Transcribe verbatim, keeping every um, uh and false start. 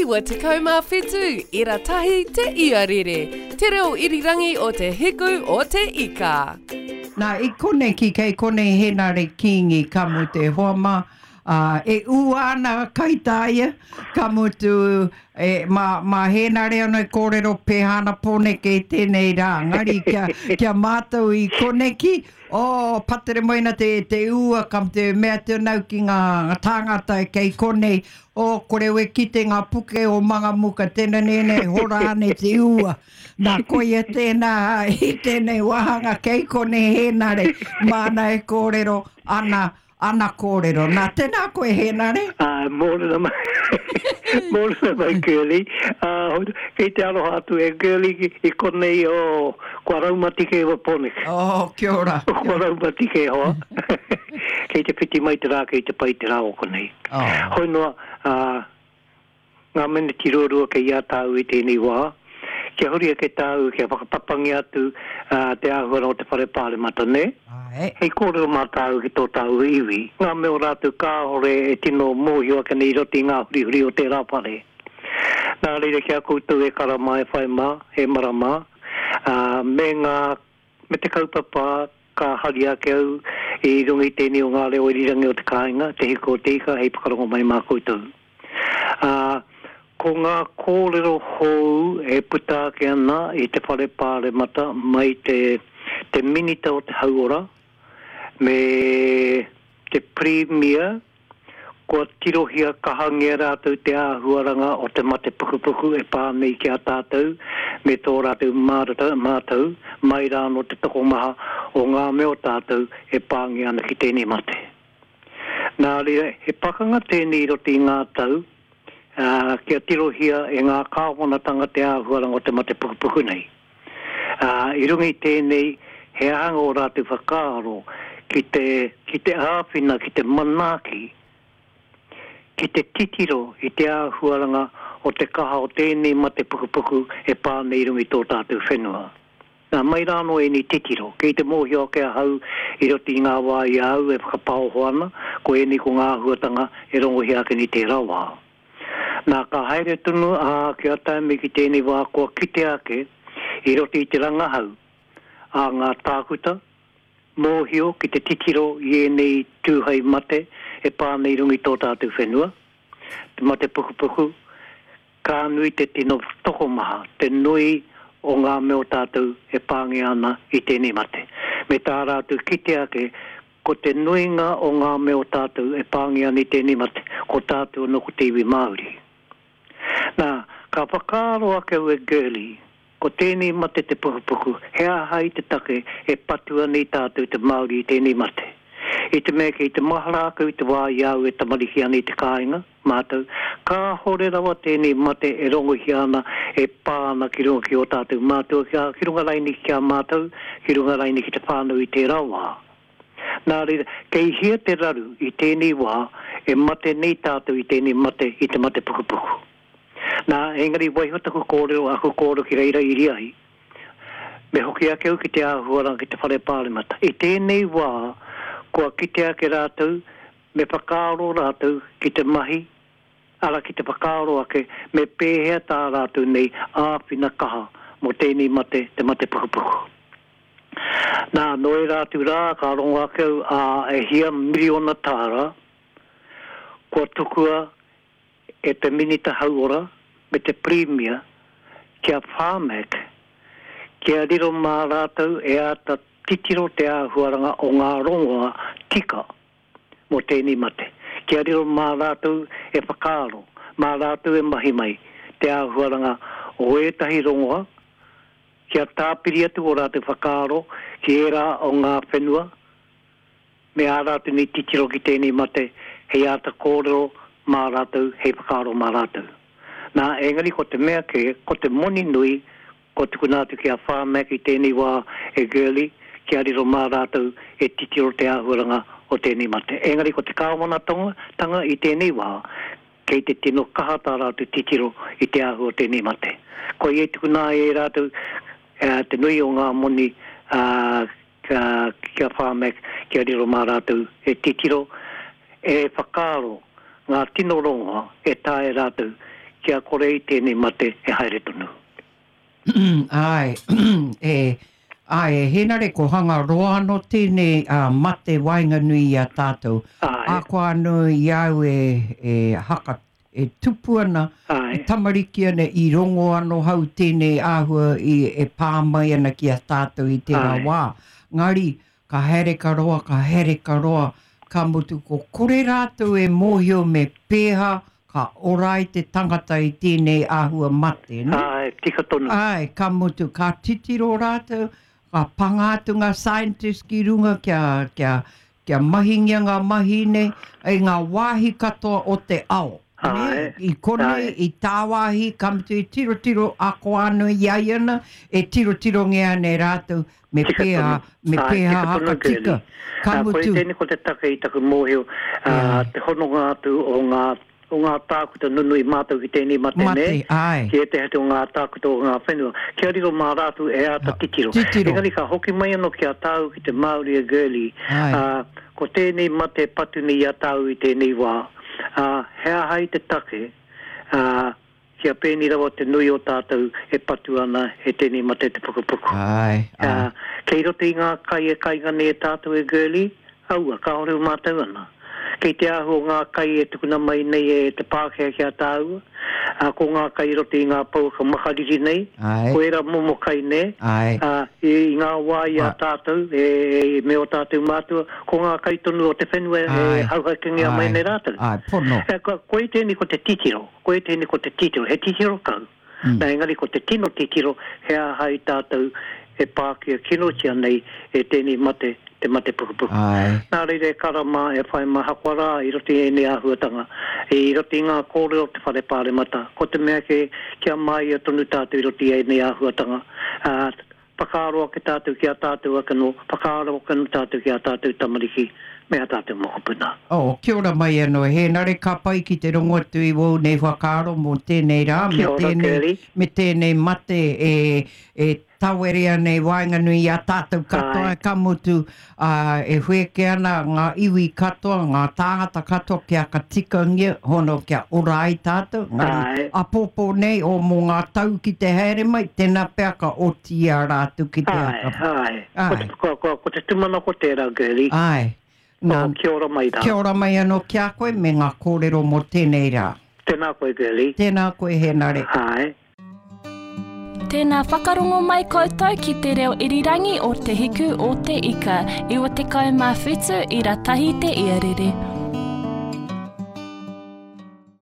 iwa tekau mā whitu, ira tahi te iarere, te reo irirangi o te hiku o te ika. Nā, i konei ki kei konei Henare Kingi ka mutu e hoa mā, ā, e ua ana kaitāia, ka mutu e, mā, mā Henare anō e kōrero pēhā ana Pōneke i tēnei rā, engari kia, kia mātou i koneki, oh, patere mai ana te, te ua, ka mutu e mea atu ana au ki ngā tāngata e kei konei, oh, kore au e kite ngā puke o Mangamuka, tēnā nēnei, hora ane te ua. Nā, koia tēnā i tēnei wāhanga kei konei Hēnare, māna e kōrero ana, ana kōrero. Nā, tēnā koe Hēnare. Ā, mōrena mai, mōrena mai Girlie. Ā, kei te aroha atu e Girlie i konei, oh, kua raumati kē wa Pōneke. Oh, kia ora. Kua raumati kē hoa. Kei te whiti mai te rā, kei te pai te rā o konei. Oh. Hoi noa, ā, ngā meneti ruarua kei a tāu i tēnei wā, kia huri ake tāu kia whakapapangia atu te āhuara o te whare pāremata, nē? Āe. Hei kōrero mā tāu ki tō tāu iwi, ngā mea o rātou kāore e tino mōhio ake nei i roto i ngā hurihuri o tērā whare. Nā reira ki a koutou e kara mā, e whai mā, e mara mā, ā, me ngā, me te kaupapa ka hari ake au i runga i tēnei o ngā reo irirangi o te kāinga, Te Hiku o te Ika, hei whakarongo mai mā koutou. Ā, ko ngā kōrero hou e puta ake ana i te Whare Pāremata mai te te Minita o te Hauora me te Pirimia, kua tirohia kahangia rātou te āhuaranga o te mate pukupuku e pā nei ki a tātou me tō rātou mātau mai rā anō te tokomaha o ngā mea o tātou e pāngia ana ki tēnei mate. Nā reira, he pakanga tēnei i roto i ngā tau, ā, kia tirohia e ngā kāwanatanga te āhuaranga o te mate pukupuku nei. Ā, i runga i tēnei, he aha ngō rātou whakaaro ki te, ki te āwhina, ki te manaaki, ki te titiro i te āhuaranga o te kaha o tēnei mate pukupuku e pā nei i runga i tō tātou whenua. Nā, mai rā anō ēnei titiro, kei te mōhio ake ahau i roto i ngā wā i a au e whakapaoho ana, ko ēnei ko ngā āhuatanga e rongohia ake nei tērā wā. Nā, ka haere tonu, ā, kia tae mai ki tēnei wā kua kitea ake i roto i te rangahau a ngā tākuta, mōhio ki te titiro i ēnei tūhei mate e pā nei i runga i tō tātou whenua, te mate pukupuku, ka nui te tino tokomaha, te nui o ngā mea o tātou e pāngia ana i tēnei mate. Me tā rātou kite ake, ko te nuinga o ngā mea o tātou e pāngia ana i tēnei mate, ko tātou anō ko te iwi Māori. Nā, ka whakaaro ake au e Girlie, ko tēnei mate te pukupuku, he aha i te take e patu ana i tātou te Māori i tēnei mate? I te mea kei te mahara ake au i te wā i a au e tamariki ana i te kāinga, mātou, kāhore rawa tēnei mate e rongohia ana e pā ana ki runga ki ō tātou mātua, ki runga raini ki a mātou, ki runga raini ki te whānau i tērā wā. Nā reira, kei hea te raru i tēnei wā e mate nei tātou i tēnei mate, i te mate pukupuku? Nā, engari waiho taku kōrero, aku kōrero ki reira iri ai, me hoki ake au ki te āhuaranga ki te whare pāremata. I tēnei wā, kua kite ake rātou, me whakaaro rātou ki te mahi, ara ki te whakaaro ake me pēhea tā rātou nei āwhina kaha mō tēnei mate, te mate pukupuku. Nā, nō ērā atu rā ka rongo ake au, ā, e hia miriona tāra kua tukua e te Minita Hauora me te Pirimia ki a Pharmac kia riro mā rātou e āta titiro te āhuaranga o ngā rongoa tika mō tēnei mate, kia riro mā rātou e whakaaro, mā rātou e mahi mai te āhuaranga o ētahi rongoa, kia tāpiri atu ō rātou whakaaro ki ērā o ngā whenua me ā rātou nei titiro ki tēnei mate hei āta kōrero mā rātou, hei whakaaro mā rātou. Nā, engari ko te mea kē, ko te moni nui kua tukuna atu ki a Pharmac i tēnei wā e Girlie kia riro mā rātou e titiro te āhuaranga o tēnei mate. Engari ko te kāwanatanga i tēnei wā, kei te tino kaha tā rātou titiro i te āhua o tēnei mate. Koia i tukuna ai e rātou te nui o ngā moni ki a Pharmac kia riro mā rātou e titiro, e whakaaro ngā tino rongoa e taea rātou kia kore i tēnei mate e haere tonu. Ai, e, ai, e Henare ko hanga roa anō tēnei uh, mate waenganui i a tātou. Ai. A koa anō i au e, e haka, e tupu ana, Ai. e tamariki ana i rongo anō hau tēnei āhua i, e pā mai ana ki a tātou i tērā Ai. wā. Ngari, ka haere ka roa, ka haere ka roa, ka mutu ko kore rātou e mōhio me pēha, ka ora ai te tangata i tēnei āhua mate. Ne? Ai, tika tonu. Ai, ka mutu, ka titiro rātou, ka panga atu ngā scientist ki runga kia, kia, kia mahingia ngā mahi nei, i ngā wāhi katoa o te ao. Ne? Ai, I konei, ai. i tāwāhi, ka mutu i tirotiro ako anō i ai ana, e tirotiro ngea nei rātou, me Tika pēha, tonu. me Ai, pēha tika tonu, hakatika. Girlie. Ka Ah, koe mutu, tēnei ko te take i taku mōhio, ah, te hononga atu o ngā, o ngā tākuta nunui mātou ki tēnei mate, mate, nei, ai. ki ētehi atu o ngā tākuta o ngā whenua, kia riro mā rātou e āta titiro. Titiro. Engari ka hoki mai anō ki a tāu ki te Māori a Girlie, Ai. ah, ko tēnei mate patu nei i a tāu i tēnei wā, ah, he aha i te take, ah, kia pēni rawa te nui o tātou e patu ana e tēnei mate te pukupuku. Ai, ai. Uh, kei roto i ngā kai e kainga nei e tātou e Girlie, aua, kāore o mātou ana. Kei te ahu o ngā kai e tukuna mai nei e te Pākehā ki a tāua, uh, ko ngā kai roto i ngā pouaka makariri nei, Ai. ko era momo kai nei, Ai. uh, i, i ngā wā i a Ai. tātou, e, e, me o tātou mātua, ko ngā kai tonu o te whenua e Ai. hauhakengia mai Ai. nei rātou. Ai, pono. E, ko, koe tēnei ko te titiro, koe tēnei ko te titiro, he titiro kau. Mm. Nā, engari ko te tino titiro, he aha i tātou e pākia kinotia nei e tēnei mate, te mate pukupuku. Ai. Nā reira e karama e whai maha koa rā i roto i ēnei āhuatanga, i roto i ngā kōrero o te whare pāremata, ko te mea ke, kia māia tonu tātou i roto i ēnei āhuatanga. Uh, whakaaro ake tātou ki a tātou ake no, whakaaro ake no tātou ki a tātou tamariki, me a tātou mokopuna. Oh, kia ora mai anō, Hēnare, ka pai ki te rongo atu i wau nei whakaaro mō tēnei rā, me Kia ora, tēnei, Curly. me tēnei mate e, e tawerea nei waenganui i a tātou katoa, Ai. ka mutu uh, e wheke ana ngā iwi katoa, ngā tāngata katoa kia ka tikangia, hono kia ora ai tātou, ngari Ai. apōpō nei o mō ngā tau ki te haere mai, tēnā pea ka oti i a rātou ki te Ai, aka. ai. Ko Ai. te, ko, ko, ko te tūmanako tērā, Girlie. Ai. Nā, Oh, kia ora mai rā. kia ora mai anō ki a koe me ngā kōrero mō tēnei rā. Tēnā koe, Girlie. Tēnā koe, Hēnare. Ai. Tēnā whakarongo mai koutou ki te reo irirangi o Te Hiku o Te Ika, iwa tekau mā whitu ira tahi te iarere.